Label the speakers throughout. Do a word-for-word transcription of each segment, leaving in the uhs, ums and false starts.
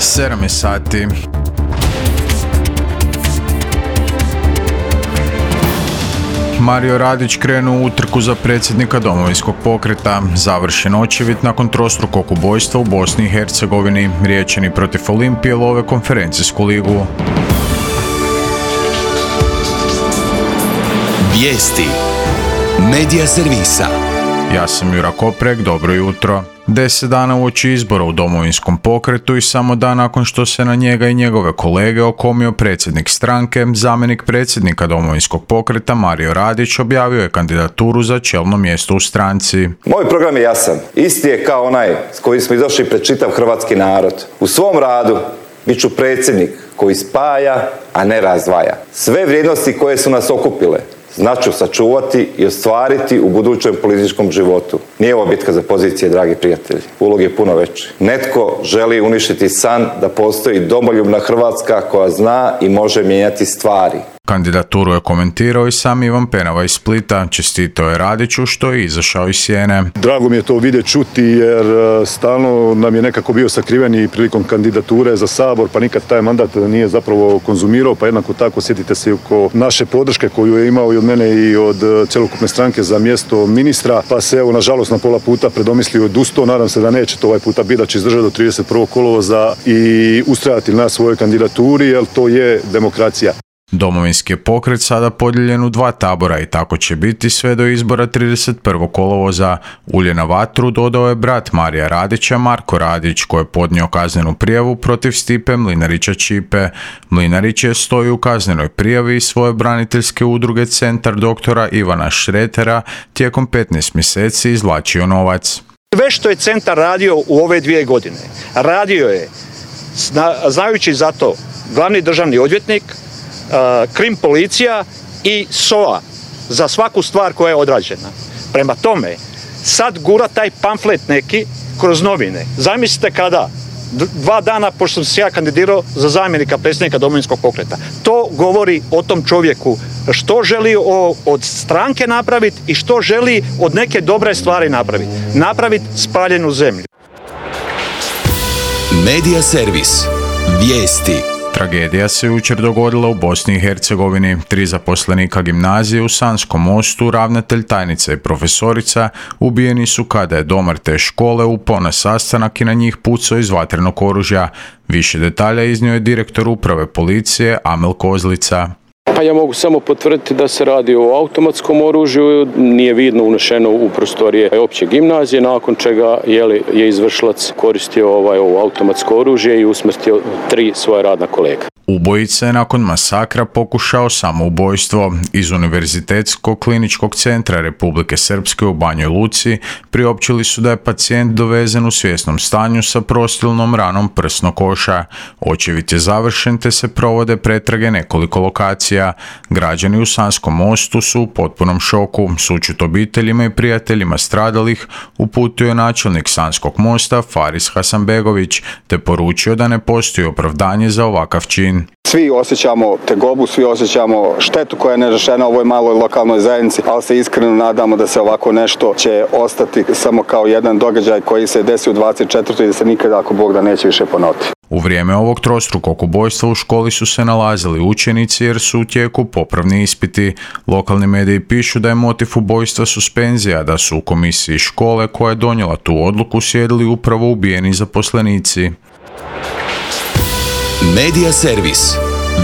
Speaker 1: sedam je sati. Mario Radić krenuo u utrku za predsjednika Domovinskog pokreta. Završen očevid nakon trostrukog ubojstva u Bosni i Hercegovini. Riječani protiv Olimpije love konferencijsku ligu.
Speaker 2: Vijesti Medija servisa.
Speaker 1: Ja sam Jura Koprek, dobro jutro. Deset dana uoči izbora u Domovinskom pokretu i samo dan nakon što se na njega i njegove kolege okomio predsjednik stranke, zamjenik predsjednika Domovinskog pokreta Mario Radić objavio je kandidaturu za čelno mjesto u stranci.
Speaker 3: Moj program je jasan. Isti je kao onaj s kojim smo izašli pred čitav hrvatski narod. U svom radu bit ću predsjednik koji spaja, a ne razdvaja. Sve vrijednosti koje su nas okupile znaću sačuvati i ostvariti u budućem političkom životu. Nije ovo bitka za pozicije, dragi prijatelji. Ulog je puno veći. Netko želi uništiti san da postoji domoljubna Hrvatska koja zna i može mijenjati stvari.
Speaker 1: Kandidaturu je komentirao i sam Ivan Penava iz Splita. Čestitao je Radiću što je izašao iz sjene.
Speaker 4: Drago mi je to vidjeti, čuti, jer stalno nam je nekako bio sakriven i prilikom kandidature za Sabor, pa nikad taj mandat nije zapravo konzumirao, pa jednako tako sjetite se oko naše podrške koju je imao i od mene i od cjelokupne stranke za mjesto ministra, pa se evo nažalost na pola puta predomislio i odustao. Nadam se da neće to ovaj puta biti, da će izdržati do trideset prvog kolovoza i ustrajati na svojoj kandidaturi, jer to je demokracija.
Speaker 1: Domovinski je pokret sada podijeljen u dva tabora i tako će biti sve do izbora trideset prvog kolovoza. Ulje na vatru dodao je brat Marija Radića, Marko Radić, koji je podnio kaznenu prijavu protiv Stipe Mlinarića Čipe. Mlinarić je stoji u kaznenoj prijavi iz svoje braniteljske udruge Centar doktora Ivana Šretera tijekom petnaest mjeseci izvlačio novac.
Speaker 5: Sve što je Centar radio u ove dvije godine, radio je, zna, znajući za to glavni državni odvjetnik, Krim policija i S O A za svaku stvar koja je odrađena. Prema tome, sad gura taj pamflet neki kroz novine. Zamislite kada, dva dana pošto sam se ja kandidirao za zamjenika predsjednika Domovinskog pokreta. To govori o tom čovjeku što želi o, od stranke napraviti i što želi od neke dobre stvari napraviti. Napraviti spaljenu zemlju.
Speaker 2: Medija servis. Vijesti.
Speaker 1: Tragedija se jučer dogodila u Bosni i Hercegovini. Tri zaposlenika gimnazije u Sanskom Mostu, ravnatelj, tajnica i profesorica, ubijeni su kada je domar te škole upao na sastanak i na njih pucao iz vatrenog oružja. Više detalja iznio je direktor uprave policije Amel Kozlica.
Speaker 6: Pa ja mogu samo potvrditi da se radi o automatskom oružju, nije vidno unešeno u prostorije opće gimnazije, nakon čega je, je izvršilac koristio ovaj, ovo automatsko oružje i usmrtio tri svoje radna kolega.
Speaker 1: Ubojica je nakon masakra pokušao samoubojstvo. Iz Univerzitetskog kliničkog centra Republike Srpske u Banjoj Luci priopćili su da je pacijent dovezen u svjesnom stanju sa prostilnom ranom prsnog koša. Očevid je završen te se provode pretrage nekoliko lokacija. Građani u Sanskom Mostu su u potpunom šoku. Sućut obiteljima i prijateljima stradalih uputio je načelnik Sanskog Mosta Faris Hasanbegović te poručio da ne postoji opravdanje za ovakav čin.
Speaker 7: Svi osjećamo tegobu, svi osjećamo štetu koja je nerešena u ovoj maloj lokalnoj zajednici, ali se iskreno nadamo da se ovako nešto će ostati samo kao jedan događaj koji se desi u dvadeset četvrtoj i da se nikada, ako Bog da, neće više ponoviti.
Speaker 1: U vrijeme ovog trostrukog ubojstva u školi su se nalazili učenici jer su u tijeku popravni ispiti. Lokalni mediji pišu da je motiv ubojstva suspenzija, da su u komisiji škole koja je donijela tu odluku sjedili upravo ubijeni zaposlenici.
Speaker 2: Medija servis.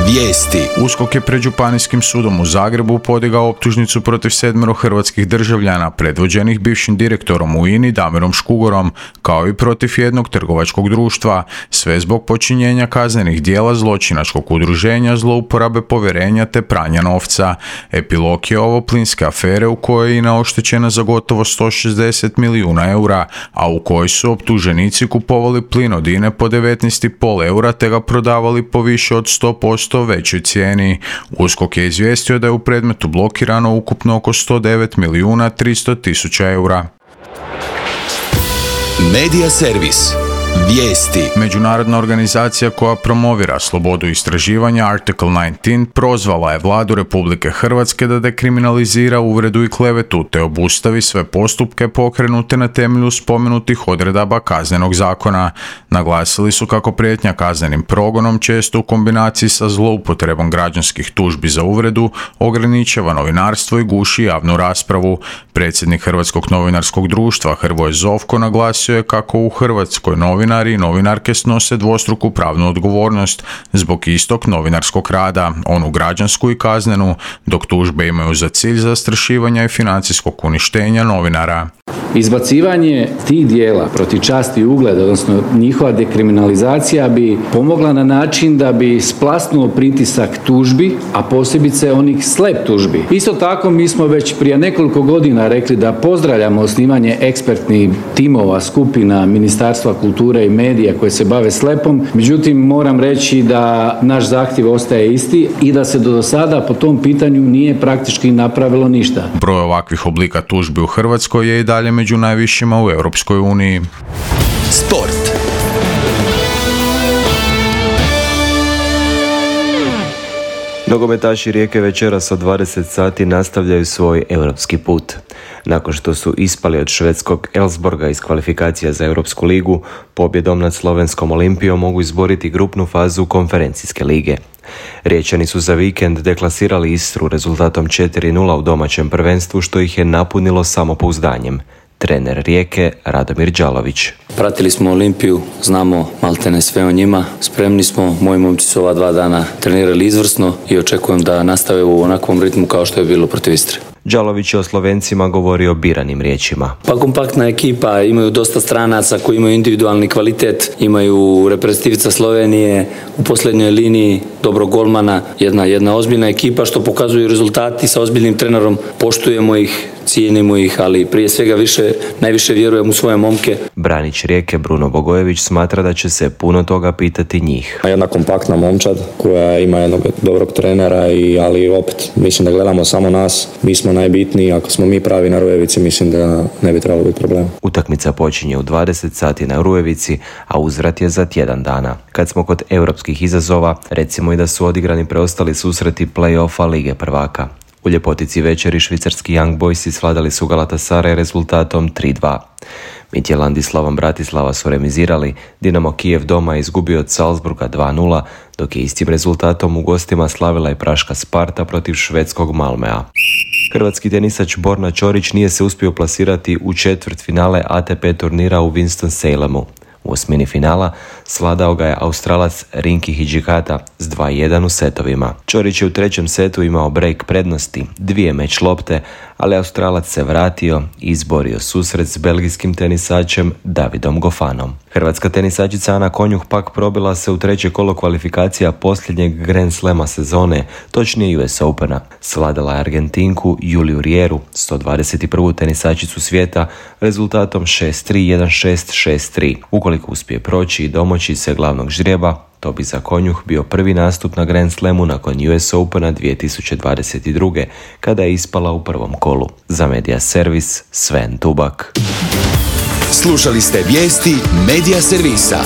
Speaker 2: Vijesti.
Speaker 1: USKOK je pred Županijskim sudom u Zagrebu podigao optužnicu protiv sedmero hrvatskih državljana predvođenih bivšim direktorom u I N A-i Damirom Škugorom, kao i protiv jednog trgovačkog društva, sve zbog počinjenja kaznenih djela zločinačkog udruženja, zlouporabe povjerenja te pranja novca. Epilog je ovo plinske afere u kojoj je I N A oštećena za gotovo sto šezdeset milijuna eura, a u kojoj su optuženici kupovali plin od I N A-e po devetnaest zarez pet eura te ga prodavali po više od sto posto većoj cijeni. USKOK je izvijestio da je u predmetu blokirano ukupno oko sto devet milijuna tristo tisuća eura.
Speaker 2: Medija servis. Vijesti.
Speaker 1: Međunarodna organizacija koja promovira slobodu istraživanja Article devetnaest prozvala je vladu Republike Hrvatske da dekriminalizira uvredu i klevetu te obustavi sve postupke pokrenute na temelju spomenutih odredaba Kaznenog zakona. Naglasili su kako prijetnja kaznenim progonom često u kombinaciji sa zloupotrebom građanskih tužbi za uvredu ograničava novinarstvo i guši javnu raspravu. Predsjednik Hrvatskog novinarskog društva Hrvoje Zovko naglasio je kako u Hrvatskoj novinari i novinarke snose dvostruku pravnu odgovornost zbog istog novinarskog rada, onu građansku i kaznenu, dok tužbe imaju za cilj zastrašivanja i financijskog uništenja novinara.
Speaker 8: Izbacivanje tih dijela protiv časti i ugleda, odnosno njihova dekriminalizacija bi pomogla na način da bi splasnuo pritisak tužbi, a posebice onih slep tužbi. Isto tako mi smo već prije nekoliko godina rekli da pozdravljamo osnivanje ekspertnih timova, skupina Ministarstva kulture i medija koje se bave slepom, međutim moram reći da naš zahtjev ostaje isti i da se do sada po tom pitanju nije praktički napravilo ništa.
Speaker 1: Broj ovakvih oblika tužbi u Hrvatskoj je i dalje među najvišima u Europskoj uniji.
Speaker 2: Sport.
Speaker 9: Nogometaši Rijeke večeras od dvadeset sati nastavljaju svoj europski put. Nakon što su ispali od švedskog Elfsborga iz kvalifikacija za Europsku ligu, pobjedom nad slovenskom Olimpijom mogu izboriti grupnu fazu konferencijske lige. Riječani su za vikend deklasirali Istru rezultatom četiri nula u domaćem prvenstvu, što ih je napunilo samopouzdanjem. Trener Rijeke Radomir Đalović.
Speaker 10: Pratili smo Olimpiju, znamo maltene sve o njima, spremni smo, moji momci su ova dva dana trenirali izvrsno i očekujem da nastave u onakvom ritmu kao što je bilo protiv Istre.
Speaker 9: Đalović je o Slovencima govorio biranim riječima.
Speaker 10: Pa kompaktna ekipa, imaju dosta stranaca koji imaju individualni kvalitet, imaju reprezentativica Slovenije, u posljednjoj liniji dobrog golmana, jedna, jedna ozbiljna ekipa što pokazuju rezultati sa ozbiljnim trenerom, poštujemo ih, cijenimo ih, ali prije svega više, najviše vjerujem u svoje momke.
Speaker 9: Branić Rijeke Bruno Bogojević smatra da će se puno toga pitati njih.
Speaker 11: Jedna kompaktna momčad koja ima jednog dobrog trenera, i, ali opet mislim da gledamo samo nas, mi smo najbitniji, ako smo mi pravi na Rujevici mislim da ne bi trebalo biti problem.
Speaker 9: Utakmica počinje u dvadeset sati na Rujevici, a uzvrat je za tjedan dana. Kad smo kod europskih izazova, recimo i da su odigrani preostali susreti play-offa Lige prvaka. U ljepotici večeri švicarski Young Boysi svladali su Galatasaray rezultatom tri dva. Midtjylland i Slovan Bratislava su remizirali, Dinamo Kijev doma je izgubio od Salzburga dva nula, dok je istim rezultatom u gostima slavila i praška Sparta protiv švedskog Malmea. Hrvatski tenisač Borna Ćorić nije se uspio plasirati u četvrt finale A T P turnira u Winston-Salemu. U osmini finala svladao ga je Australac Rinki Hijikata s dva jedan u setovima. Ćorić je u trećem setu imao break prednosti, dvije meč lopte, ali Australac se vratio i izborio susret s belgijskim tenisačem Davidom Gofanom. Hrvatska tenisačica Ana Konjuh pak probila se u treće kolo kvalifikacija posljednjeg Grand Slema sezone, točnije U S Opena. Svladala je Argentinku Juliju Rieru, sto dvadeset prvu tenisačicu svijeta, rezultatom šest tri, jedan šest, šest tri. Ukoliko uspije proći i domoći se glavnog ždrijeba, to bi za Konjuh bio prvi nastup na Grand Slamu nakon U S Opena dvije tisuće dvadeset druge. kada je ispala u prvom kolu. Za Media Servis, Sven Tubak.
Speaker 2: Slušali ste vijesti Media Servisa.